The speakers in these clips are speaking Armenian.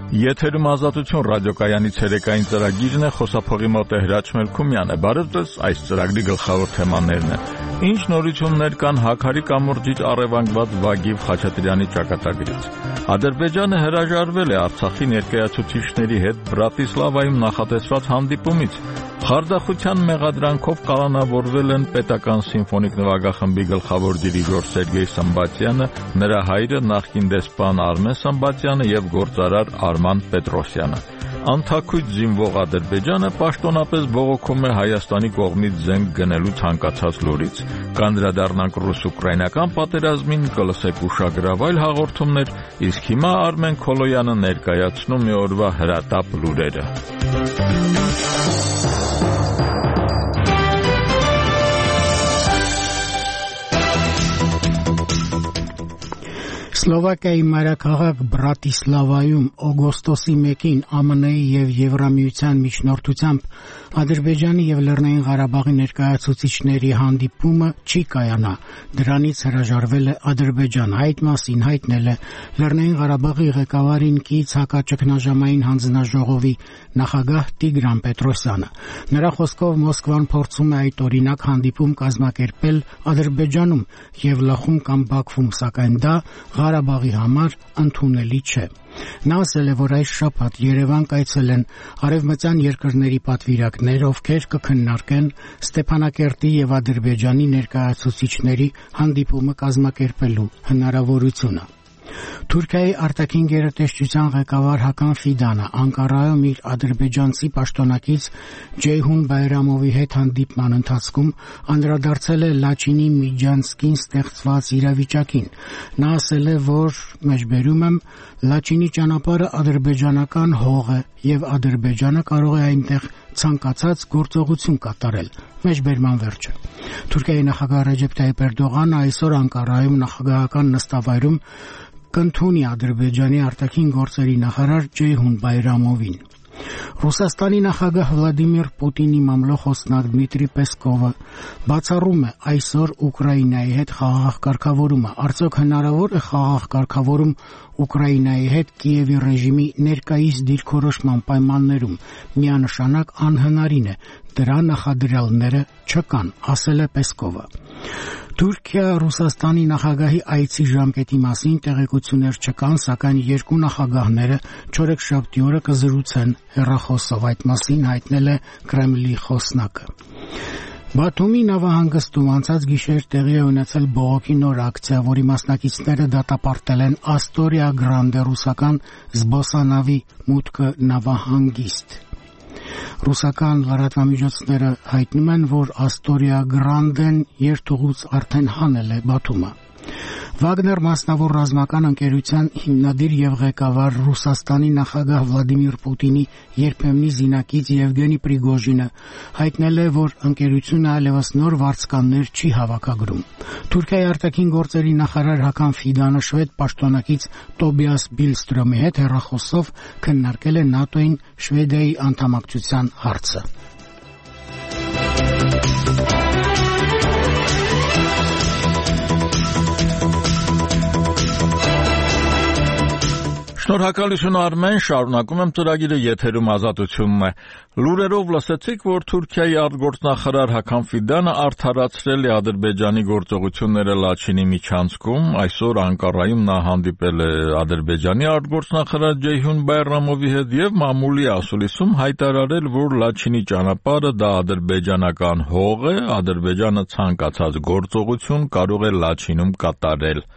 Եթերում Ազատություն ռադիոկայանի ցերեկային ծրագիրն է, խոսափողի մոտ է Հրաչ Մելքումյանը։ Բարև ձեզ, այս ծրագրի գլխավոր թեմաներն են. Ինչ նորություններ կան Հաքարի կամուրջից առևանգված Վագիվ Խաչատրյանի ճակատագրից։ Ադրբեջանը հրաժարվել է Արցախի ներկայացուցիչների հետ Բրատիսլավայում նախատեսված հանդիպումից։ Խարդախության մեղադրանքով կալանավորվել են պետական սիմֆոնիկ նվագախմբի գլխավոր դիրիժոր Սերգեյ Սմբատյանը, նրա հայրը նախկին դեսպան Արմեն Սմբատյանը եւ գործարար Արման Պետրոսյանը։ Անթաքույց զինվող Ադրբեջանը պաշտոնապես բողոքում է Հայաստանի կողմից զենք գնելու ցանկացած լուրից։ Կանդրադառնանք ռուս-ուկրաինական պատերազմին, կլսեք ուշագրավ այլ հաղորդումներ, իսկ հիմա Արմեն Քոլոյանը ներկայացնում մի օրվա հրատապ լուրերը։ Սլովակիայի մայրաքաղաք Բրատիսլավայում օգոստոսի 1-ին ԱՄՆ-ի եւ Եվրամիության միջնորդությամբ Ադրբեջանի եւ Լեռնային Ղարաբաղի ներկայացուցիչների հանդիպումը չի կայանա։ Դրանից հրաժարվել է Ադրբեջանը։ Այդ մասին հայտնել է Լեռնային Ղարաբաղի ղեկավարին կից հակաճգնաժամային հանձնաժողովի նախագահ Տիգրան Պետրոսյանը։ Նրա խոսքով Մոսկվան փորձում է այդ օրինակ հանդիպում կազմակերպել Ադրբեջանում եւ Լխում կամ Բաքվում, սակայն դա Ղարաբաղի համար ընդունելի չէ։ Նա ասել է, որ այս շաբաթ Երևան կայցելեն արևմտյան երկրների պատվիրակներ, ովքեր կքննարկեն Ստեփանակերտի եւ Ադրբեջանի ներկայացուցիչների հանդիպումը կազմակերպելու հնարավորությունը։ Թուրքիայի արտաքին գերատեսչության ղեկավար Հական Ֆիդանը Անկարայում իր ադրբեջանցի պաշտոնակից Ջեյհուն Բայրամովի հետ հանդիպման ընթացքում անդրադարձել է Լաչինի Միջանցկին ստեղծված իրավիճակին։ Նա ասել է, որ մեջբերում եմ Լաչինի ճանապարհը ադրբեջանական հող է եւ Ադրբեջանը կարող է այնտեղ ցանկացած գործողություն կատարել։ Մեջբերման վերջը։ Թուրքիայի նախագահ Ռեջեփ Թայիփ Էրդողանը այսօր Անկարայում նախագահական նստավայրում կընդունի Ադրբեջանի արտաքին գործերի նախարար Ջեյհուն Բայրամովին։ Ռուսաստանի նախագահ Վլադիմիր Պուտինի մամլոխոսնակ Դմիտրի Պեսկովը բացառում է այսօր Ուկրաինայի հետ խաղաղ կարգավորումը։ Արդյոք հնարավոր է խաղաղ կարգավորում Ուկրաինայի հետ Կիևի ռեժիմի ներկայիս դիրքորոշման պայմաններում։ Միանշանակ անհնարին է։ Դրա նախադրյալները չկան, ասել է Պեսկովը։ Թուրքիա Ռուսաստանի նախագահի այցի ժամկետի մասին տեղեկություններ չկան, սակայն երկու նախագահները չորեքշաբթի օրը կզրուցեն հեռախոսով, այդ մասին հայտնել է Կրեմլի խոսնակը։ Բաթումի նավահանգստում անցած գիշեր տեղի է ունեցել բողոքի նոր ակցիա, որի մասնակիցները դատապարտել են Աստորիա Գրանդե ռուսական զբոսանավի մուտքը նավահանգիստ։ Ռուսական լրատվամիջոցները հայտնում են, որ Աստորիա Գրանդեն երթուղուց արդեն հանել է Բաթումը։ Վագներ մասնավոր ռազմական ընկերության հիմնադիր եւ ղեկավար Ռուսաստանի նախագահ Վլադիմիր Պուտինի երբեմնի զինակից Եվգենի Պրիգոժինը հայտնել է, որ ընկերությունը այլևս նոր վարձկաններ չի հավաքագրում։ Թուրքիայի արտաքին գործերի նախարար Հական Ֆիդանը շվեդ պաշտոնակից Տոբիաս Բիլստրոմի հետ հեռախոսով քննարկել է ՆԱՏՕ-ին Շվեդիայի անդամակցության հարցը։ Շնորհակալություն Արմեն, շարունակում եմ ծրագիրը, եթերում Ազատությունն է։ Լուրերով լսեցիք, որ Թուրքիայի արտգործնախարար Հական Ֆիդանը արդարացրել է Ադրբեջանի գործողությունները Լաչինի միջանցքում։ Այսօր Անկարայում նա հանդիպել է Ադրբեջանի արտգործնախարար Ջեյհուն Բայրամովի հետ եւ մամուլի ասուլիսում հայտարարել, որ Լաչինի ճանապարհը դա ադրբեջանական հող է, Ադրբեջանը ցանկացած գործողություն կարող է Լաչինում կատարել։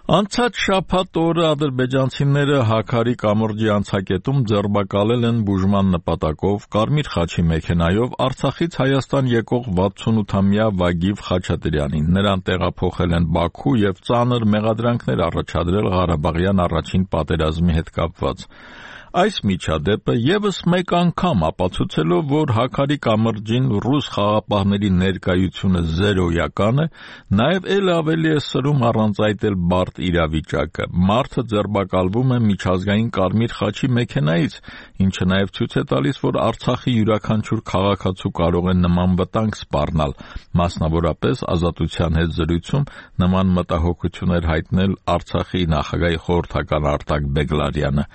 Անցած շաբաթ օրը ադրբեջանցիները Հաքարի կամուրջի անցակետում ձերբակալել են բուժման նպատակով Կարմիր խաչի մեքենայով Արցախից Հայաստան եկող 68-ամյա Վագիվ Խաչատրյանին։ Նրան տեղափոխել են Բաքու եւ ծանր մեղադրանքներ առաջադրել Ղարաբաղյան առաջին պատերազմի հետ կապված։ Այս միջադեպը ևս մեկ անգամ ապացուցելով, որ Հաքարի կամրջին ռուս խաղապահների ներկայությունը զերոյական է, նաև էլ ավելի է սրում առանց այդ էլ բարդ իրավիճակը։ Մարդը ձերբակալվում է միջազգային Կարմիր խաչի մեքենայից, ինչը նաև ցույց է տալիս, որ Արցախի յուրաքանչյուր քաղաքացու կարող է նման վտանգ սպառնալ։ Մասնավորապես Ազատության հետ զրույցում նման մտահոգություն էր հայտնել Արցախի նախագահի խորհրդական Արտակ Բեգլարյանը։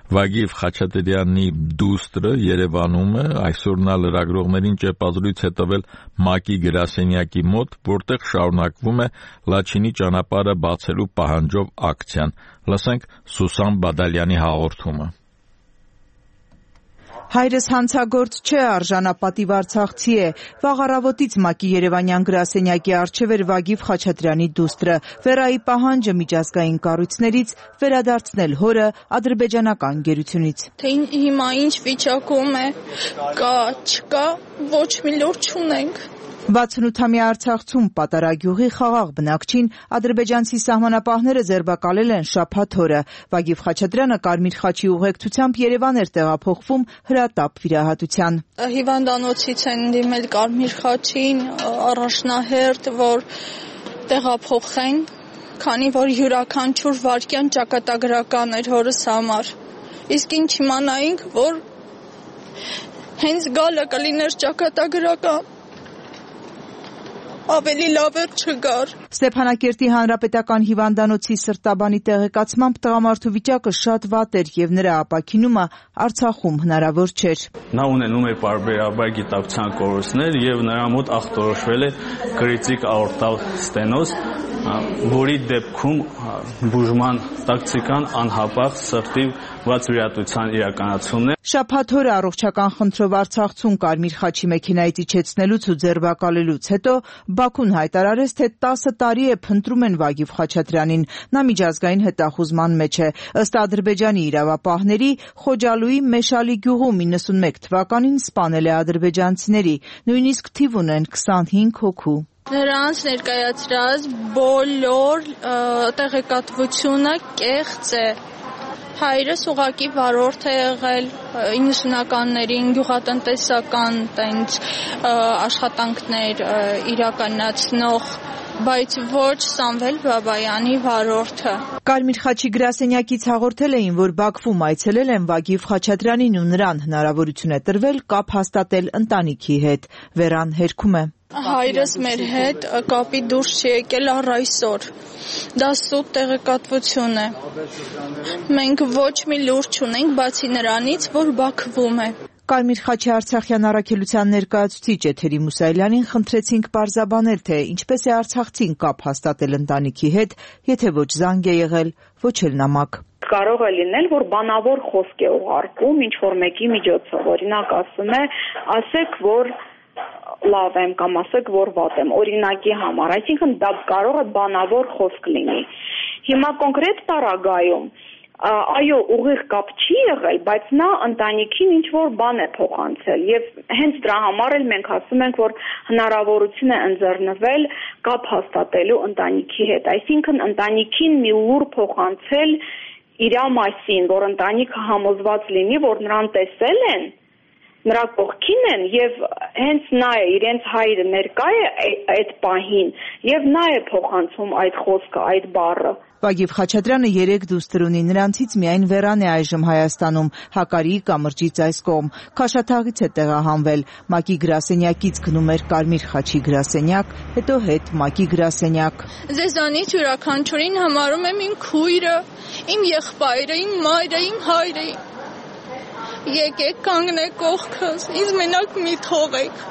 Վագիվ Խաչատրյանի դուստրը Երևանում է, այսօր նա լրագրողներին ճեպազրույց է տվել ՄԱԿ-ի գրասենյակի մոտ, որտեղ շարունակվում է Լաչինի ճանապարհը բացելու պահանջով ակցիան։ Լսենք Սուսան Բադալյանի հաղորդումը։ Հայրս հանցագործ չէ, արժանապատիվ արցախցի է։ Վաղ առավոտից ՄԱԿ-ի երևանյան գրասենյակի առջև էր Վագիվ Խաչատրյանի դուստրը։ Վերայի պահանջը միջազգային կառույցներից վերադարձնել հորը ադրբեջանական գերությունից։ Թե հիմա ինչ վիճակում է, կա, չկա, ոչ մի լուր չունենք։ 68-ամյա Արցախցում Պատարագյուղի խաղաղ բնակչին ադրբեջանցի սահմանապահները ձերբակալել են շաբաթ օրը։ Վագիվ Խաչատրյանը Կարմիր խաչի ուղեկցությամբ Երևան էր տեղափոխվում հրատապ վիրահատության։ Հիվանդանոցից են դիմել Կարմիր խաչին, առաջնահերթ, որ տեղափոխեն, քանի որ յուրաքանչյուր վայրկյան ճակատագրական էր հորս համար։ Իսկ ինչ իմանայինք, որ հենց գալը կլիներ ճակատագրական։ Ավելի լավ էր չգար։ Ստեփանակերտի հանրապետական հիվանդանոցի սրտաբանի տեղեկացմամբ տղամարդու վիճակը շատ վատ էր եւ նրա ապաքինումը Արցախում հնարավոր չէր։ Նա ունենում է պարբերաբար գիտակցության կորուստներ եւ նրա մոտ ախտորոշվել է կրիտիկ աորտալ ստենոզ, որի դեպքում բուժման տակտիկան անհապաղ սրտի վատ վիրահատության իրականացումն է։ Շաբաթ օրը առողջական խնդրով Արցախցուն Կարմիր խաչի մեքենայից իջեցնելուց ու ձերբակալելուց հետո Բաքուն հայտարարեց, թե 10 տարի է փնտրում են Վագիվ Խաչատրյանին։ Նա միջազգային հետախուզման մեջ է։ Ըստ Ադրբեջանի իրավապահների, Խոջալուի Մեշալի գյուղում 91 թվականին սպանել է ադրբեջանցիների, նույնիսկ թիվ ունեն 25 հոգու։ Նրանց ներկայացրած բոլոր տեղեկատվությունը կեղծ է։ Հայրս ուղղակի վարորդ է եղել 90-ականներին գյուղատնտեսական տենց աշխատանքներ իրականացնող, բայց ոչ Սամվել Բաբայանի վարորդը։ Կարմիր խաչի գրասենյակից հաղորդել էին, որ Բաքվում այցելել են Վագիվ Խաչատրյանին ու նրան հնարավորություն է տրվել կապ հաստատել ընտանիքի հետ։ Վերան հերքում է։ Հայրս մեր հետ կապի դուրս չի եկել առ այսօր։ Դա սուտ տեղեկատվություն է։ Մենք ոչ մի լուր չունենք, բացի նրանից, որ Բաքվում է։ Կարմիր խաչի Արցախյան առաքելության ներկայացուցիչ Էթերի Մուսայելյանին խնդրեցինք պարզաբանել, թե ինչպես է արցախցին կապ հաստատել ընտանիքի հետ, եթե ոչ զանգ է եղել, ոչ էլ նամակ։ Կարող է լինել, որ բանավոր խոսք է ուղարկում ինչ-որ մեկի միջոցով, օրինակ ասում է, ասեք, որ լավ եմ կամ ասեք, որ վատ եմ, օրինակի համար, այսինքն դա կարող է բանավոր խոսք լինի։ Հիմա կոնկրետ տարագայում այո, ուղիղ կապ չի եղել, բայց նա ընտանիքին ինչ-որ բան է փոխանցել եւ հենց դրա համար էլ մենք ասում ենք, որ հնարավորություն է ընձեռնվել կապ հաստատելու ընտանիքի հետ, այսինքն ընտանիքին մի լուր փոխանցել իր մասին, որ ընտանիքը համոզված լինի, որ նրան տեսել են, նրա կողքին են եւ հենց նա է, իրենց հայրը ներկա է այդ պահին եւ նա է փոխանցում այդ խոսքը, այդ բառը։ Վագիվ Խաչատրյանը 3 դուստր ունի, նրանցից միայն Վերան է այժմ Հայաստանում, Հակարի կամրջից այս կողմ։ Քաշաթաղից է տեղահանվել, ՄԱԿ-ի գրասենյակից գնում էր Կարմիր խաչի գրասենյակ, հետո հետ ՄԱԿ-ի գրասենյակ։ Ձեզանից յուրաքանչյուրին համարում եմ իմ քույրը, իմ եղբայրը, իմ մայրը, իմ հայրը։ Եկեք կանգնեք կողքս, ինձ մենակ մի թողեք։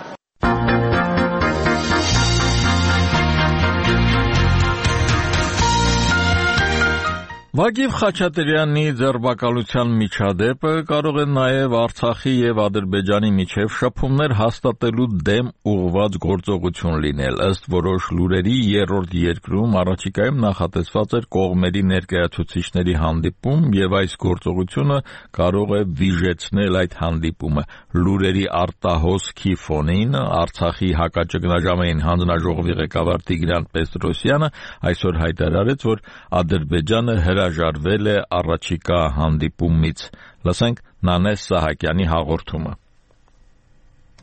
Վագիվ Խաչատրյանի ձերբակալության միջադեպը կարող է նաև Արցախի եւ Ադրբեջանի միջև շփումներ հաստատելու դեմ ուղղված գործողություն լինել։ Ըստ որոշ լուրերի երրորդ երկրում առաջիկայում նախատեսված էր կողմերի ներկայացուցիչների հանդիպում եւ այս գործողությունը կարող է վիժեցնել այդ հանդիպումը։ Լուրերի արտահոսքի ֆոնին Արցախի հակաճգնաժամային հանձնաժողովի ղեկավար Տիգրան Պետրոսյանը այսօր հայտարարեց, որ Ադրբեջանը հրաժարվել է առաջիկա հանդիպումից։ Լսենք Նանես Սահակյանի հաղորդումը։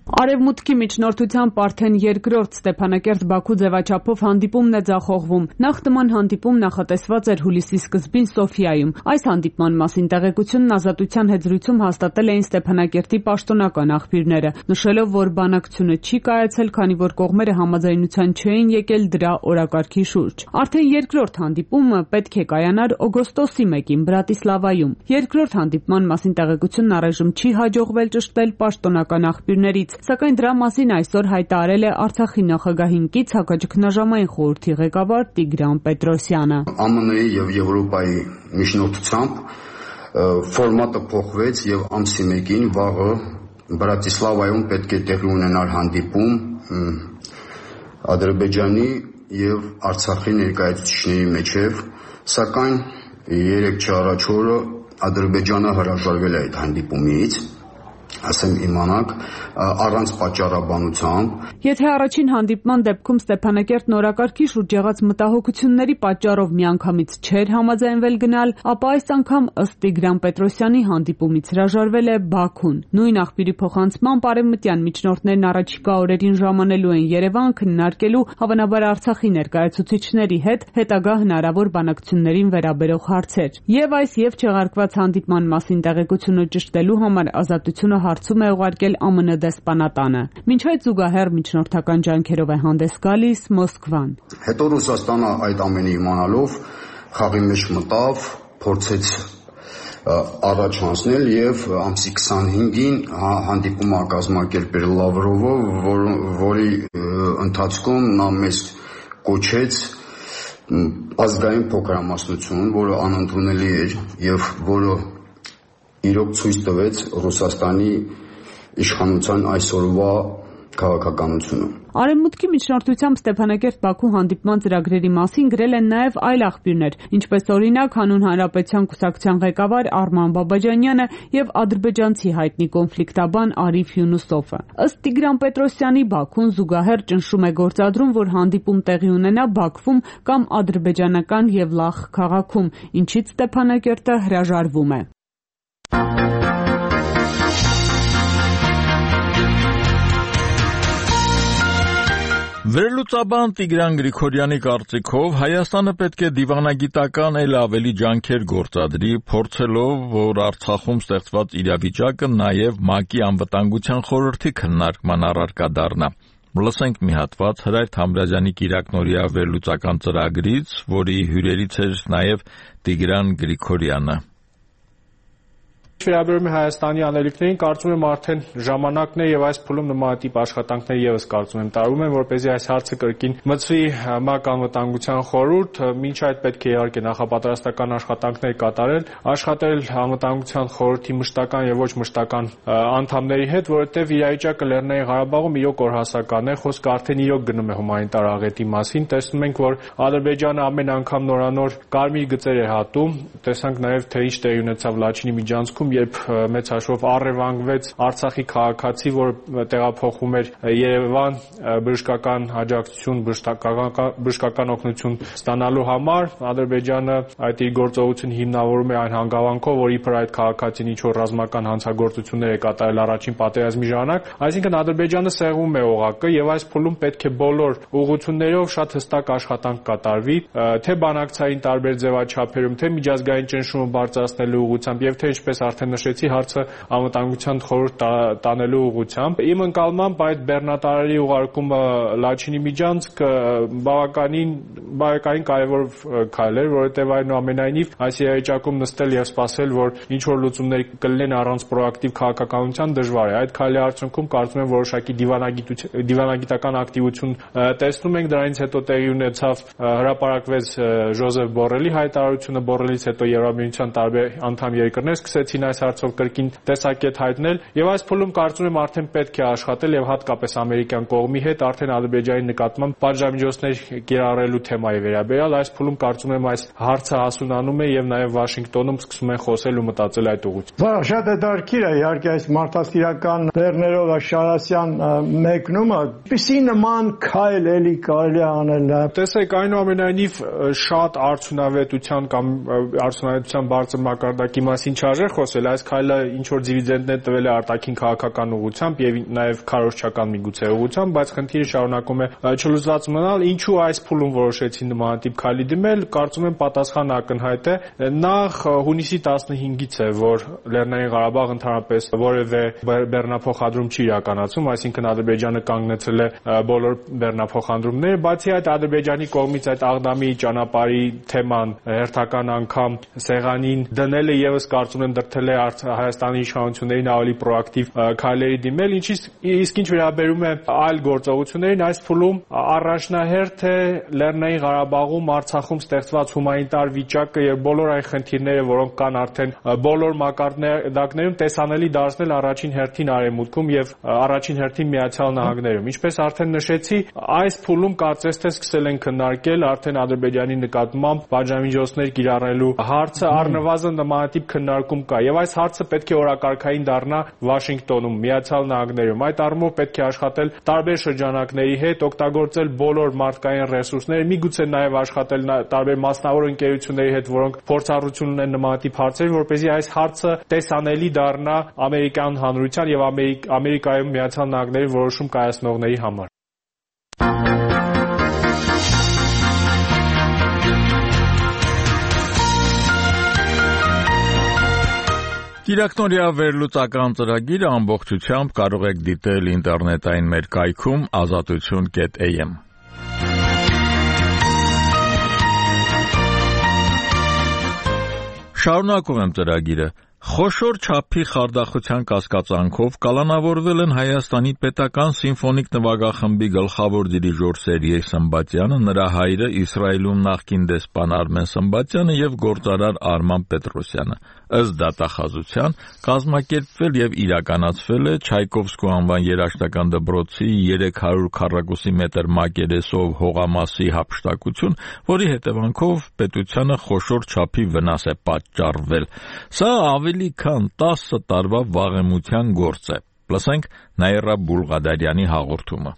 Արևմուտքի միջնորդությամբ արդեն երկրորդ Ստեփանակերտ-Բաքու ձևաչափով հանդիպումն է ձախողվում։ Նախ նման հանդիպում նախատեսված էր հուլիսի սկզբին Սոֆիայում։ Այս հանդիպման մասին տեղեկությունն Ազատության հետ զրույցում հաստատել էին Ստեփանակերտի պաշտոնական աղբյուրները, նշելով, որ բանակցությունը չի կայացել, քանի որ կողմերը համաձայնության չէին եկել դրա օրակարգի շուրջ։ Արդեն երկրորդ հանդիպումը պետք է կայանար օգոստոսի 1-ին Բրատիսլավայում։ Երկրորդ հանդիպման մասին տեղեկությունն առայժմ չի հաջողվել ճշտել պաշտոնական աղբյուրներից, սակայն դրա մասին այսօր հայտարարել է Արցախի նախագահին կից հակաճգնաժամային խորհրդի ղեկավար Տիգրան Պետրոսյանը։ ԱՄՆ-ի եւ Եվրոպայի միջնորդությամբ ֆորմատը փոխվեց եւ ամսի 1-ին վաղը Բրատիսլավայում պետք է տեղի ունենար հանդիպում Ադրբեջանի եւ Արցախի ներկայացուցիչների միջև, սակայն 3 առաջ օրը Ադրբեջանը հրաժարվել է այդ հանդիպումից, ասեմ իմանաք, առանց պատճառաբանությամբ։ Եթե առաջին հանդիպման դեպքում Ստեփանակերտն օրակարգի շուրջ եղած մտահոգությունների պատճառով միանգամից չէր համաձայնվել գնալ, ապա այս անգամ ըստ Տիգրան Պետրոսյանի հանդիպումից հրաժարվել է Բաքուն։ Նույն աղբյուրի փոխանցմամբ արևմտյան միջնորդներն առաջիկա օրերին ժամանելու են Երևան քննարկելու հավանաբար Արցախի ներկայացուցիչների հետ հետագա հնարավոր բանակցություններին վերաբերող հարցեր։ Եվ այս եւ չեղարկված հանդիպման մասին տեղեկությունը ճշտելու համար Ազատությունը հարցում է ուղարկել ԱՄՆ դեսպանատանը։ Մինչ այդ զուգահեռ միջնորդական ջանքերով է հանդես գալիս Մոսկվան։ Հետո Ռուսաստանը այդ ամենը իմանալով խաղի մեջ մտավ, փորձեց առաջ անցնել եւ ամսի 25-ին հանդիպում կազմակերպել Լավրովը, որի ընթացքում նա մեզ կոչեց ազգային փոքրամասնություն, որը անընդունելի էր եւ որը իրոք ցույց տվեց Ռուսաստանի իշխանության այսօրվա քաղաքականությունը։ Արևմուտքի միջնորդությամբ Ստեփանակերտ-Բաքու հանդիպման ծրագրերի մասին գրել են նաև այլ աղբյուրներ, ինչպես օրինակ Հանուն Հանրապետության կուսակցության ղեկավար Արման Բաբաջանյանը եւ ադրբեջանցի հայտնի կոնֆլիկտաբան Արիֆ Յունուսովը։ Ըստ Տիգրան Պետրոսյանի Բաքուն զուգահեռ ճնշում է գործադրում, որ հանդիպում տեղի ունենա Բաքվում կամ ադրբեջանական Եվլախ քաղաքում, ինչից Ստեփանակերտը հրաժարվում է։ Վերլուծաբան Տիգրան Գրիգորյանի կարծիքով Հայաստանը պետք է դիվանագիտական էլ ավելի ջանքեր գործադրի, փորձելով, որ Արցախում ստեղծված իրավիճակը նաև ՄԱԿ-ի անվտանգության խորհրդի քննարկման առարկա դառնա։ Լսենք մի հատված Հրայր Թամրազյանի կիրակնօրյա վերլուծական ծրագրից, որի հյուրերից էր նաև Տիգրան Գրիգորյանը։ Վերաբերում է Հայաստանի անելիքներին, կարծում եմ արդեն ժամանակն է եւ այս փուլում նմանատիպ աշխատանքներ եւս կարծում եմ տարվում են, որպեսզի այս հարցը կրկին մցվի ՄԱԿ անվտանգության խորհուրդ, մինչ այդ պետք է իհարկե նախապատրաստական աշխատանքներ կատարել, աշխատել անվտանգության խորհրդի մշտական եւ ոչ մշտական անդամների հետ, որովհետեւ իրավիճակը Լեռնային Ղարաբաղում իրոք օրհասական է, խոսքը արդեն իրոք գնում է հումանիտար աղետի մասին, տեսնում ենք, որ Ադրբեջանը ամեն անգամ նորանոր կարմիր գծեր է հատում, տեսանք նաեւ թե ինչ տեղի ունեցավ Լաչինի միջանցքում, երբ մեծ հաշվով առևանգվեց Արցախի քաղաքացի, որ տեղափոխվում էր Երևան բժշկական աջակցություն, բժշկական օգնություն ստանալու համար, Ադրբեջանը այդ իր գործողությունը հիմնավորում է այն հանգամանքով, որ իբր այդ քաղաքացին ինչ-որ ռազմական հանցագործություններ է կատարել առաջին պատերազմի ժամանակ, այսինքն Ադրբեջանը սեղմում է օղակը եւ այս փուլում պետք է բոլոր ուղղություններով շատ հստակ աշխատանք կատարվի, թե բանակցային տարբեր ձևաչափերում, թե միջազգային ճնշումը բարձրացնելու ուղղությամբ եւ թե ինչպես արդեն նշեցի, հարցը անվտանգության խորհուրդ տանելու ուղղությամբ։ Իմ ընկալմամբ այդ բեռնատարարի ուղարկումը Լաչինի միջանցքը բավականին կարևոր քայլ էր, որովհետև այնուամենայնիվ այս իրավիճակում նստել եւ սպասել, որ ինչ որ լուծումներ կլինեն առանց պրոակտիվ քաղաքականության դժվար է։ Այդ քայլի արդյունքում կարծում եմ որոշակի դիվանագիտական ակտիվություն տեսնում ենք, դրանից հետո տեղի ունեցավ հրապարակվեց Ժոզեֆ Բորրելի հայտարարությունը, Բորրելից հետո Եվրամիության տարբեր անդամ երկրներ սկսեցին այս հարցով կրկին տեսակետ հայտնել եւ այս փուլում կարծում եմ արդեն պետք է աշխատել եւ հատկապես ամերիկյան կողմի հետ արդեն Ադրբեջանի նկատմամբ պատժամիջոցներ կիրառելու թեմայի վերաբերյալ այս փուլում կարծում եմ այս հարցը հասունանում է եւ նաեւ Վաշինգտոնում սկսում են խոսել ու մտածել այդ ուղղությամբ։ Շատ հետաքրքիր է իհարկե այս մարդասիրական լեռներով Շարասյան մեկնումը, ինչպիսի նման քայլ էլի կարելի անել։ Տեսեք, այնուամենայնիվ շատ արդյունավետության կամ արդյունավետության բարձր մակարդակի մասին չարժե խոսել, այս քայլը ինչ որ դիվիդենդներ տվել է արտաքին քաղաքական ուղղությամբ եւ նաեւ քարոզչական միգուցե ուղղությամբ, բայց խնդիրը շարունակում է չլուծված մնալ։ Ինչու այս փուլում որոշեցին նմանատիպ քայլի դիմել, կարծում եմ պատասխանը ակնհայտ է։ Նախ հունիսի 15-ից է, որ Լեռնային Ղարաբաղ ընդհանրապես որևէ բեռնափոխադրում չի իրականացում, այսինքն Ադրբեջանը կանգնեցել է բոլոր բեռնափոխադրումները, բացի այդ Ադրբեջանի կողմից այդ Աղդամի ճանապարհի թեման հերթական անգամ սեղանին դնելը եւս կարծում եմ դրդել է Հայաստանի իշխանություններին ավելի պրոակտիվ քայլերի դիմել, իսկ ինչ վերաբերում է այլ գործողություններին, այս փուլում առաջնահերթ է Լեռնային Ղարաբաղում, Արցախում ստեղծված հումանիտար վիճակը եւ բոլոր այն խնդիրները, որոնք կան արդեն բոլոր մակարդակներում, տեսանելի դարձնել առաջին հերթին Արևմուտքում եւ առաջին հերթին Միացյալ Նահանգներում։ Ինչպես արդեն նշեցի, այս փուլում կարծես թե սկսել են քննարկել արդեն Ադրբեջանի նկատմամբ պատժամիջոցներ կիրառելու հարցը, առնվազն նմանատիպ քննարկում կա եւ այս հարցը պետք է օրակարգային դառնա Վաշինգտոնում, Միացյալ Նահանգներում։ Այդ առումով պետք է աշխատել տարբեր շրջանակների հետ, օգտագործել բոլոր մարդկային ռեսուրսները, միգուցե նաեւ աշխատել տարբեր մասնավոր ընկերությունների հետ, որոնք փորձառություն ունեն նմանատիպ հարցերում, որպեսզի այս հարցը տեսանելի դառնա ամերիկյան հանրության եւ Ամերիկայում Միացյալ Նահանգների որոշում կայացնողների համար։ Կիրակնօրյա վերլուծական ծրագիրը ամբողջությամբ կարող եք դիտել ինտերնետային մեր կայքում azatutun.am։ Շարունակում եմ ծրագիրը։ Խոշոր չափի խարդախության կասկածանքով կալանավորվել են Հայաստանի պետական սիմֆոնիկ նվագախմբի գլխավոր դիրիժոր Սերգեյ Սմբատյանը, նրա հայրը Իսրայելում նախկին դեսպան Արմեն Սմբատյանը եւ գործարար Արման Պետրոսյանը։ Ըստ դատախազության կազմակերպվել եւ իրականացվել է Չայկովսկու անվան երաժշտական դպրոցի 300 քառակուսի մետր մակերեսով հողամասի հափշտակություն, որի հետևանքով պետությանը խոշոր չափի վնաս է պատճառվել։ Սա ավելի քան 10 տարվա վաղեմության գործ է։ Լսենք Նաիրա Բուլղադարյանի հաղորդումը։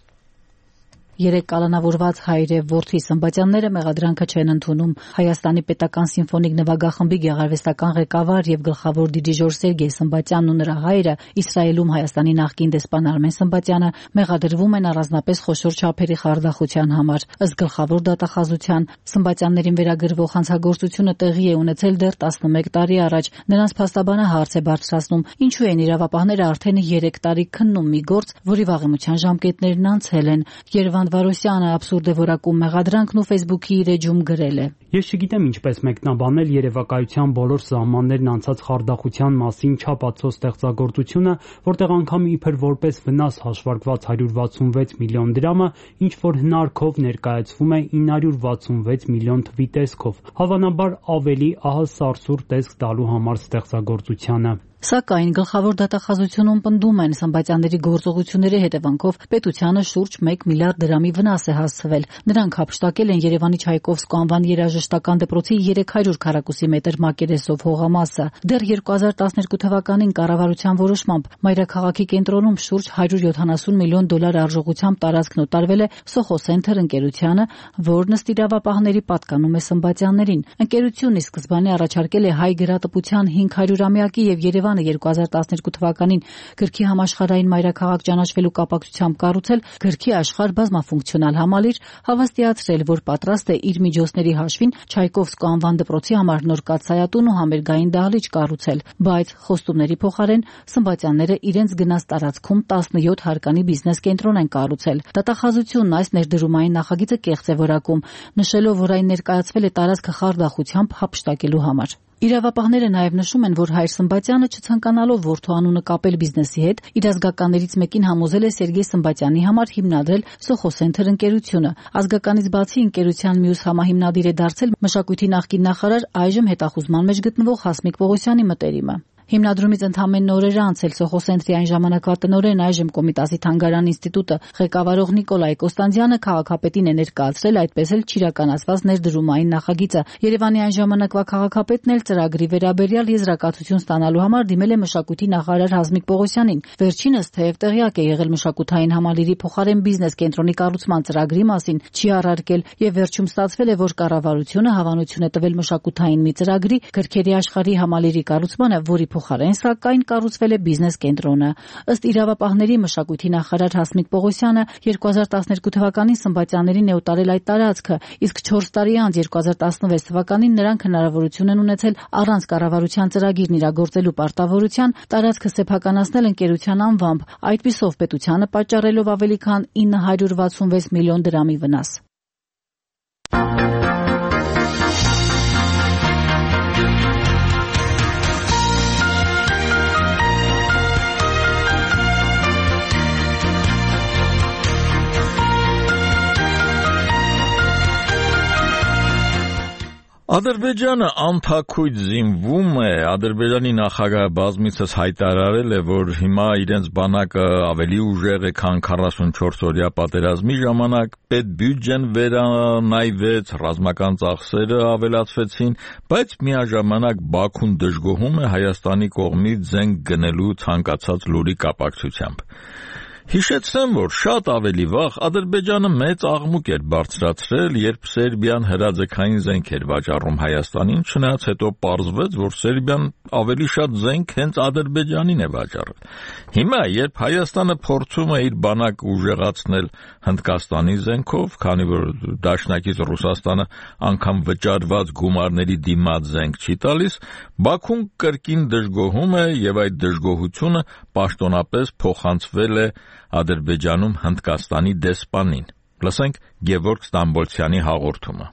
Երեք կալանավորված հայր եւ որդի Սմբատյանները մեղադրանքը չեն ընդունում։ Հայաստանի պետական սիմֆոնիկ նվագախմբի գեղարվեստական ղեկավար եւ գլխավոր դիրիժոր Սերգեյ Սմբատյանն ու նրա հայրը Իսրայելում Հայաստանի նախկին դեսպան Արմեն Սմբատյանը մեղադրվում են առանձնապես խոշոր չափերի խարդախության համար։ Ըստ գլխավոր դատախազության Սմբատյաններին վերագրվող հանցագործությունը տեղի է ունեցել դեռ 11 տարի առաջ։ Նրանց փաստաբանը հարց է բարձրացնում, ինչու են իրավապահները արդեն 3 տարի քննում մի գործ, որի վաղեմության ժամկետներն անցել են։ Երևան Վարոսյանը абսուրդ է որակում մեղադրանքն ու Facebook-ի իր էջում գրել է. Ես չգիտեմ ինչպես մեկնաբանել երևակայության բոլոր սահմաններն անցած խարդախության մասին չափածո ստեղծագործությունը, որտեղ անգամ իբր որպես վնաս հաշվարկված 166 միլիոն դրամը ինչ որ հնարքով ներկայացվում է 966 միլիոն թվի տեսքով, հավանաբար ավելի ահա սարսուռ տեսք տալու համար ստեղծագործությանը։ Սակայն գլխավոր դատախազությունում պնդում են Սմբատյանների գործողությունների հետևանքով պետությանը շուրջ 1 միլիարդ դրամի վնաս է հասցվել։ Նրանք հափշտակել են Երևանի Չայկովսկու անվան երաժշտական դպրոցի 300 քառակուսի մետր մակերեսով հողամասը։ Դեռ 2012 թվականին կառավարության որոշմամբ մայրաքաղաքի կենտրոնում շուրջ 170 միլիոն դոլար արժողությամբ տարածքն օտարվել է Soho Center ընկերությանը, որն ըստ իրավապահների պատկանում է Սմբատյաններին։ Ընկերությունն ի սկզբանե առաջարկել է հայ գրատպության 500-ամյակի եւ Երևանը 2012 թվականին գրքի համաշխարհային մայրաքաղաք ճանաչվելու կապակցությամբ կառուցել գրքի աշխարհ բազմաֆունկցիոնալ համալիր, հավաստիացրել, որ պատրաստ է իր միջոցների հաշվին Չայկովսկու անվան դպրոցի համար նոր կաթսայատուն ու համերգային դահլիճ կառուցել, բայց խոստումների փոխարեն Սմբատյանները իրենց գնած տարածքում 17 հարկանի բիզնես կենտրոն են կառուցել։ Դատախազությունն այս ներդրումային նախագիծը կեղծ է որակում, նշելով, որ այն ներկայացվել է տարածքը խարդախությամբ հափշտակելու համար։ Իրավապահները նաև նշում են, որ հայր Սմբատյանը չցանկանալով որդու անունը կապել բիզնեսի հետ, իր ազգականներից մեկին համոզել է Սերգեյ Սմբատյանի համար հիմնադրել Soho Center ընկերությունը։ Ազգականից բացի ընկերության մյուս համահիմնադիր է դարձել մշակույթի նախկին նախարար, այժմ հետախուզման մեջ գտնվող Հասմիկ Պողոսյանի մտերիմը։ Հիմնադրումից ընդամենը օրեր անց Սոխոսենտրի այն ժամանակվա տնօրեն, այժմ Կոմիտասի թանգարան ինստիտուտը ղեկավարող Նիկոլայ Կոստանդյանը քաղաքապետին է ներկայացրել այդպես էլ չիրականացված ներդրումային նախագիծը։ Երևանի այն ժամանակվա քաղաքապետն էլ ծրագրի վերաբերյալ եզրակացություն ստանալու համար դիմել է մշակույթի նախարար Հասմիկ Պողոսյանին։ Վերջինս թեև տեղյակ է եղել մշակութային համալիրի փոխարեն բիզնես կենտրոնի կառուցման ծրագրի մասին, չի առարկել եւ վերջում ստացվել է, որ կառավարությունը հավանություն է տվել մշակութային մի ծրագրի գրքերի աշխարհի համալիրի կառուցմանը, որի փոխարեն սակայն կառուցվել է բիզնես կենտրոնը։ Ըստ իրավապահների մշակույթի նախարար Հասմիկ Պողոսյանը 2012 թվականին Սմբատյաններին է ուտարել այդ տարածքը, իսկ 4 տարի անց 2016 թվականին նրանք հնարավորություն են ունեցել առանց կառավարության ծրագիրն իրագործելու պարտավորության տարածքը սեփականացնել ընկերության անվամբ, այդպիսով պետությանը պատճառելով ավելի քան 966 միլիոն դրամի վնաս։ Ադրբեջանը անթաքույց զինվում է, Ադրբեջանի նախագահը բազմիցս հայտարարել է, որ հիմա իրենց բանակը ավելի ուժեղ է, քան 44-օրյա պատերազմի ժամանակ, պետբյուջեն վերանայվեց, ռազմական ծախսերը ավելացվեցին, բայց միաժամանակ Բաքուն դժգոհում է Հայաստանի կողմից զենք գնելու ցանկացած լուրի կապակցությամբ։ Հիշեցնեմ, որ շատ ավելի վաղ Ադրբեջանը մեծ աղմուկ էր բարձրացրել, երբ Սերբիան հրաձգային զենք էր վաճառում Հայաստանին, չնայած հետո պարզվեց, որ Սերբիան ավելի շատ զենք հենց Ադրբեջանին է վաճառել։ Հիմա, երբ Հայաստանը փորձում է իր բանակը ուժեղացնել Հնդկաստանի զենքով, քանի որ դաշնակից Ռուսաստանը անգամ վճարված գումարների դիմաց զենք չի տալիս, Բաքուն կրկին դժգոհում է եւ այդ դժգոհությունը պաշտոնապես փոխանցվել է Ադրբեջանում Հնդկաստանի դեսպանին։ Լսենք Գևորգ Ստամբոլցյանի հաղորդումը։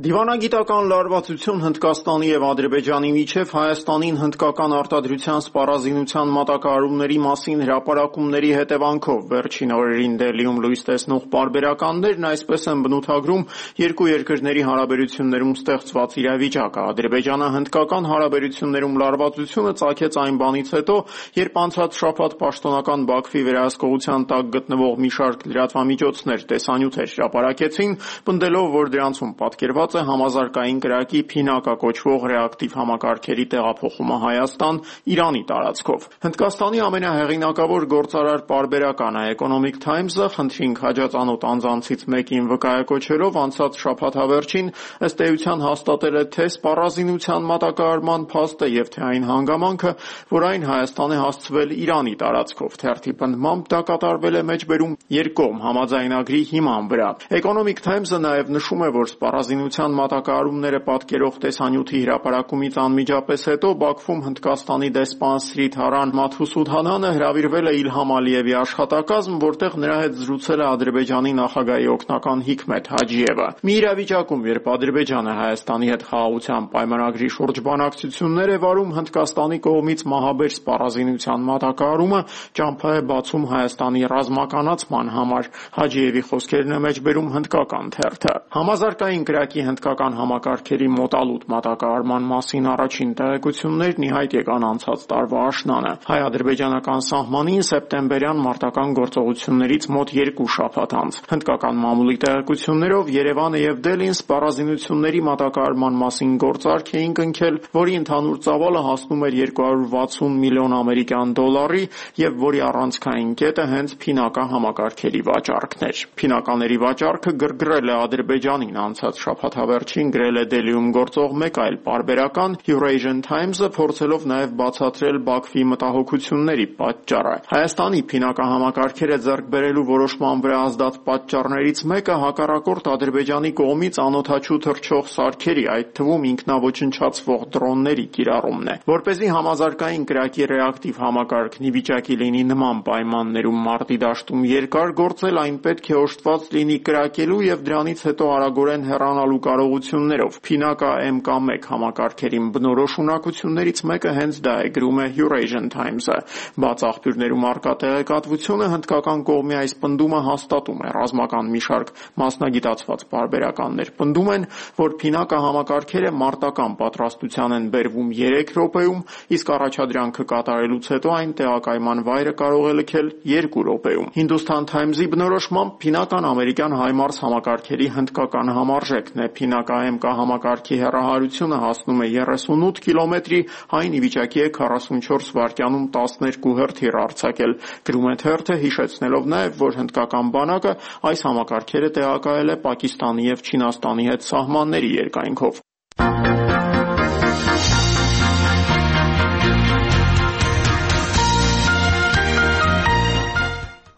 Դիվանագիտական լարվածություն Հնդկաստանի եւ Ադրբեջանի միջև Հայաստանին հնդկական արտադրության սպառազինության մատակարարումների մասին հրապարակումների հետևանքով վերջին օրերին Դելիում լույս տեսնող պարբերականներն այսպես են բնութագրում երկու երկրների հարաբերություններում ստեղծված իրավիճակը։ Ադրբեջանը հնդկական հարաբերություններում լարվածությունը ծագեց այն բանից հետո, երբ անցած շաբաթ պաշտոնական Բաքվի վերահսկողության տակ գտնվող մի շարք լրատվամիջոցներ տեսանյութեր հրապարակեցին, պնդելով, որ դրանցում պատկերված է համազարգային կրակի Փինակա կոչվող ռեակտիվ համակարգերի տեղափոխումը Հայաստան Իրանի տարածքով։ Հնդկաստանի ամենահեղինակավոր գործարար պարբերականը Economic Times-ը խնդրին քաջածանոթ անձանցից մեկին վկայակոչելով անցած շաբաթավերջին ըստ էության հաստատել է թե սպառազինության մատակարարման փաստը եւ թե այն հանգամանքը, որ այն Հայաստան է հասցվել Իրանի տարածքով։ Թերթի պնդմամբ դա կատարվել է մեջբերում երկկողմ համաձայնագրի հիման վրա։ Economic Times-ը նաեւ նշում է, որ սպառազինության մատակարարումները պատկերող տեսանյութի հրապարակումից անմիջապես հետո Բաքվում Հնդկաստանի դեսպան Սրիթ Հարան Մաթուսուդհանանը հրավիրվել է Իլհամ Ալիևի աշխատակազմ, որտեղ նրա հետ զրուցել է Ադրբեջանի նախագահի օգնական Հիկմետ Հաջիևը։ Մի իրավիճակում, երբ Ադրբեջանը Հայաստանի հետ խաղաղության պայմանագրի շուրջ բանակցություններ է վարում, Հնդկաստանի կողմից մահաբեր սպառազինության մատակարարումը ճամփա է բացում Հայաստանի ռազմականացման համար։ Հաջիևի խոսքերն է մեջբերում հնդկական թերթը։ Համազարգային կրակի հնդկական համակարգերի մոտալուտ մատակարարման մասին առաջին տեղեկություններն ի հայտ եկան անցած տարվա աշնանը։ Հայ-ադրբեջանական սահմանին սեպտեմբերյան մարտական գործողություններից մոտ 2 շաբաթ անց։ Հնդկական մամուլի տեղեկություններով Երևանը եւ Դելին սպառազինությունների մատակարարման մասին գործարք էին կնքել, որի ընդհանուր ծավալը հասնում էր 260 միլիոն ամերիկյան դոլարի եւ որի առանցքային կետը հենց Փինակա համակարգերի վաճառքն էր։ Փինակաների վաճառքը գրգռել է Ադրբեջանին անցած շաբաթավերջին գրել է Դելիում գործող մեկ այլ պարբերական Eurasian Times-ը, փորձելով նաև բացատրել Բաքվի մտահոգությունների պատճառը։ Հայաստանի Փինակա համակարգերը ձեռք բերելու որոշման վրա ազդած պատճառներից մեկը հակառակորդ Ադրբեջանի կողմից անօդաչու թռչող սարքերի, այդ թվում ինքնաոչնչացվող դրոնների կիրառումն է։ Որպեսզի համազարգային կրակի ռեակտիվ համակարգն ի վիճակի լինի նման պայմաններում մարտի դաշտում երկար գործել, այն պետք է օժտված լինի կրակելու եւ դրանից հետո արագորեն հեռանալու ստանալու կարողություններով։ Փինակա MK1 համակարգերին բնորոշ ունակություններից մեկը հենց դա է, գրում է Eurasian Times-ը։ Բաց աղբյուրներում առկա տեղեկատվությունը հնդկական կողմի այս պնդումը հաստատում է։ Ռազմական մի շարք մասնագիտացված պարբերականներ պնդում են, որ Փինակա համակարգերը մարտական պատրաստության են բերվում 3 րոպեում, իսկ առաջադրանքը կատարելուց հետո այն տեղակայման վայրը կարող է լքել 2 րոպեում։ Hindustan Times-ի բնորոշմամբ Փինական ամերիկյան HIMARS համակարգերի հնդկական համարժեքն է։ Փինակա MK համակարգի հեռահարությունը հասնում է 38 կիլոմետրի, այն ի վիճակի է 44 վայրկյանում 12 հրթիռ արձակել։ Գրում է թերթը, հիշեցնելով նաև, որ հնդկական բանակը այս համակարգերը տեղակայել է Պակիստանի և Չինաստանի հետ սահմանների երկայնքով։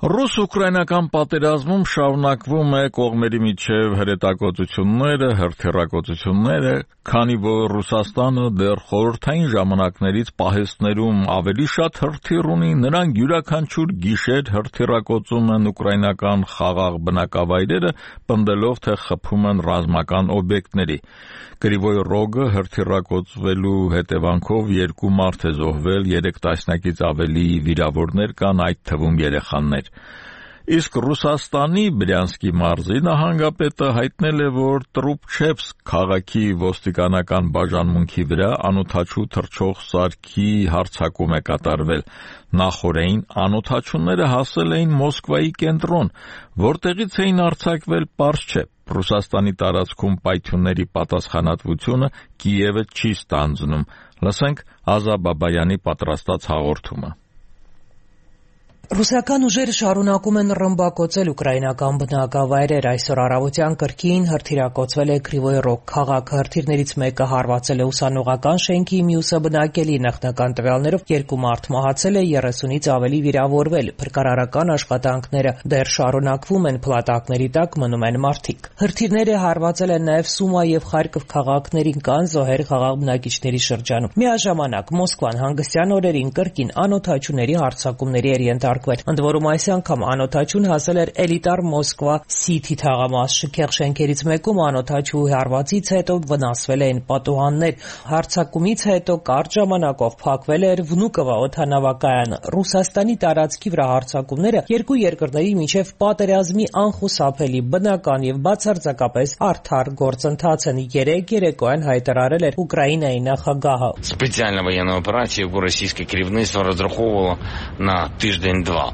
Ռուս-ուկրաինական պատերազմում շարունակվում է կողմերի միջև հրետակոծությունները, հրթիռակոծությունները, քանի որ Ռուսաստանը դեռ խորհրդային ժամանակներից պահեստներում ավելի շատ հրթիռ ունի, նրանք յուրաքանչյուր գիշեր հրթիռակոծում են ուկրաինական խաղաղ բնակավայրերը, պնդելով, թե խփում են ռազմական օբյեկտների։ Կրիվոյ Ռոգը հրթիռակոծվելու հետևանքով 2 մարդ է զոհվել, 3 տասնյակից ավելի վիրավորներ կան, այդ թվում երեխաներ։ Իսկ Ռուսաստանի Բրյանսկի մարզի նահանգապետը հայտնել է, որ Տրուբչևսկ քաղաքի ոստիկանական բաժանմունքի վրա անօդաչու թռչող սարքի հարձակում է կատարվել։ Նախօրեին անօդաչուները հասել էին Մոսկվայի կենտրոն, որտեղից էին արձակվել պարզ չէ։ Ռուսաստանի տարածքում պայթյունների պատասխանատվությունը Կիևը չի ստանձնում։ Լսենք Ազա Բաբայանի պատրաստած հաղորդումը։ Ռուսական ուժերը շարունակում են ռմբակոծել ուկրաինական բնակավայրեր։ Այսօր առավոտյան կրկին հրթիռակոծվել է Կրիվոյ Ռոգ քաղաքը։ Հրթիռներից մեկը հարվածել է ուսանողական շենքի, մյուսը բնակելի։ Նախնական տվյալներով 2 մարդ մահացել է, 30-ից ավելի վիրավորվել։ Փրկարարական աշխատանքները դեռ շարունակվում են, փլատակների տակ մնում են մարդիկ։ Հրթիռները հարվածել են նաև Սումա և Խարկով քաղաքներին, կան զոհեր խաղաղ բնակիչների շրջանում։ Միաժամանակ Մոսկվան հանգստյան օրերին կրկին անօդաչուների հարձակումների էր ենթարկվել։ Ընդ որում այս անգամ անօդաչուն հասել էր էլիտար Մոսկվա Սիթի թաղամաս շքեղ շենքերից մեկում անօդաչուի հարվածից հետո վնասվել էին պատուհաններ։ Հարձակումից հետո կարճ ժամանակով փակվել էր Վնուկովա օդանավակայանը։ Ռուսաստանի տարածքի վրա հարձակումները երկու երկրների միջև պատերազմի անխուսափելի բնական եւ բացարձակապես արդար գործընթաց են։ Երեկոյան հայտարարել էր Ուկրաինայի նախագահը։ Специальная военная операция, яку російське керівництво розраховувало на тиждень-два.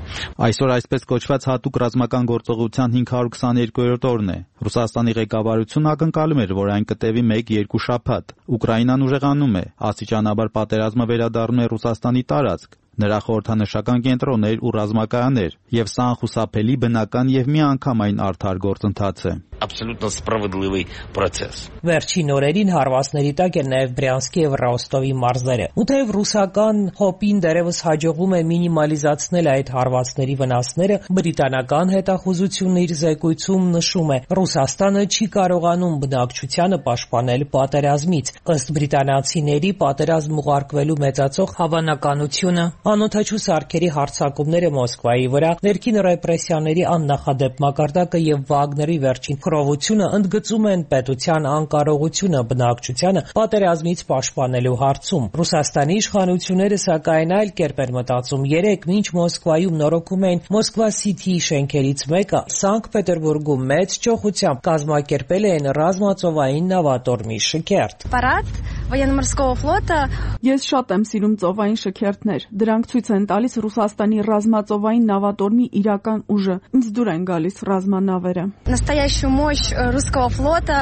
Այսօր այսպես կոչված հատուկ ռազմական գործողության 522-րդ օրն է։ Ռուսաստանի ղեկավարությունը ակնկալում էր, որ այն կտևի 1-2 շաբաթ։ Ուկրաինան ուժեղանում է, աստիճանաբար պատերազմը վերադառնում է Ռուսաստանի տարածք, նրա խորհրդանշական կենտրոններ ու ռազմակայաններ, եւ սա անխուսափելի բնական եւ միանգամայն արդար գործընթաց է։ Абсолютно справедливий процес. Վերջին օրերին հարվածների տակ են նաև Բրյանսկի եւ Ռոստովի մարզերը։ Ու թեև ռուսական հոպին դերևս հաջողվում է մինիմալիզացնել այդ հարվածների վնասները, բրիտանական հետախուզությունը իր զեկույցում նշում է, Ռուսաստանը չի կարողանում բնակչությանը պաշտպանել պատերազմից։ Ըստ բրիտանացիների պատերազմ ուղարկվելու մեծացող հավանականությունը, անօդաչու սարքերի հարձակումները Մոսկվայի վրա, ներքին ռեպրեսիաների աննախադեպ մակարդակը եւ Վագների վերջին խռովությունը ընդգծում են պետության անկարողությունը բնակչությանը պատերազմից պաշտպանելու հարցում։ Ռուսաստանի իշխանությունները սակայն այլ կերպ են մտածում։ Երեկ մինչ Մոսկվայում նորոգում էին Մոսկվա Սիթիի շենքերից մեկը, Սանկտ Պետերբուրգում մեծ ճոխությամբ կազմակերպել էին ռազմածովային նավատորմի շքերթ։ Военно-морского флота. Ես շատ եմ սիրում ծովային շքերթներ։ Դրանք ցույց են տալիս Ռուսաստանի ռազմածովային նավատորմի իրական ուժը։ Ինձ դուր են գալիս ռազմանավերը։ Настоящую мощь русского флота,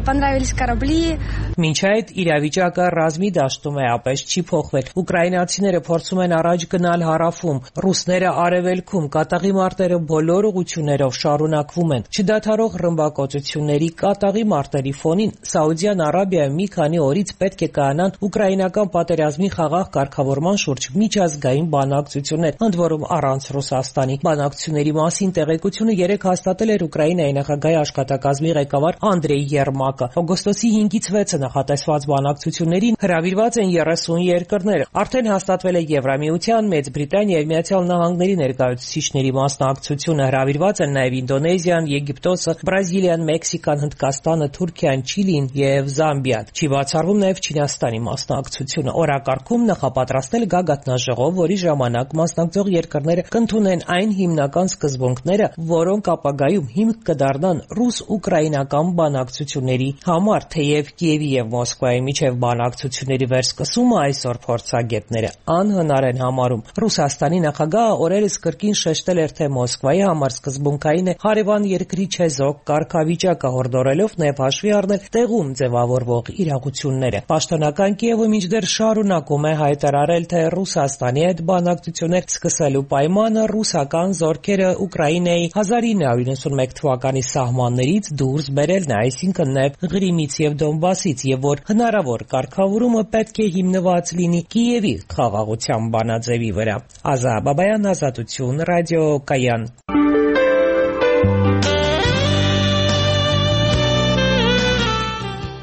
понравились корабли. Մինչ այդ իրավիճակը ռազմի դաշտում է ապես չի փոխվել։ Ուկրաինացիները փորձում են առաջ գնալ հարավում, ռուսները արևելքում, կատաղի մարտերը բոլոր ուղղություններով շարունակվում են։ Չդադարող ռմբակոծությունների կատաղի մարտերի ֆոնին Սաուդյան Արաբիայում մի քանի օրից պետք է կայանան ուկրաինական պատերազմի խաղաղ կարգավորման շուրջ միջազգային բանակցություններ, ընդ որում առանց Ռուսաստանի։ Բանակցությունների մասին տեղեկությունը երեկ հաստատել էր Ուկրաինայի նախագահի աշխատակազմի ղեկավար Անդրեյ Երմակը։ Օգոստոսի 5-ից 6-ը նախատեսված բանակցություններին հրավիրված են 30 երկրներ։ Արդեն հաստատվել է Եվրամիության, Մեծ Բրիտանիայի, Միացյալ Նահանգների ներկայացուցիչների մասնակցությունը, հրավիրված են նաև Ինդոնեզիան, Եգիպտոսը, Բրազիլիան, Մեքսիկան, Հնդկաստանը, Թուրքիան, Չիլին եւ Զամբիան։ Չի բացառվում նաև Չինաստանի մասնակցությունը։ Օրակարգում նախապատրաստել գագաթնաժողով, որի ժամանակ մասնակցող երկրները կընդունեն այն հիմնական սկզբունքները, որոնք ապագայում հիմք կդառնան ռուս-ուկրաինական բանակցությունների համար, թեև Կիևի եւ Մոսկվայի միջև բանակցությունների վերսկսումը այսօր փորձագետները անհնար են համարում։ Ռուսաստանի նախագահը օրերս կրկին շեշտել էր, թե Մոսկվայի համար սկզբունքային է հարևան երկրի չեզոք կարգավիճակը, հորդորելով նաև հաշվի առնել տեղում ձևավորվող իրողությունները։ Պաշտոնական Կիևը մինչդեռ շարունակում է հայտարարել, թե Ռուսաստանի հետ բանակցություններ սկսելու պայմանը ռուսական զորքերը Ուկրաինայի 1991 թվականի սահմաններից դուրս բերելն է, այսինքն նաև Ղրիմից եւ Դոնբասից, եւ որ հնարավոր կարգավորումը պետք է հիմնված լինի Կիևի խաղաղության բանաձևի վրա։ Ազա Բաբայան, Ազատություն, Ռադիոկայան։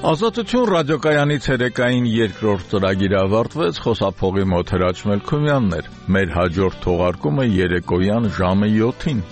Ազատություն ռադիոկայանի ցերեկային երկրորդ ծրագիրը ավարտվեց, խոսափողի մոտ Հրաչ Մելքումյանն էր։ Մեր հաջորդ թողարկումը երեկոյան ժամը 7-ին։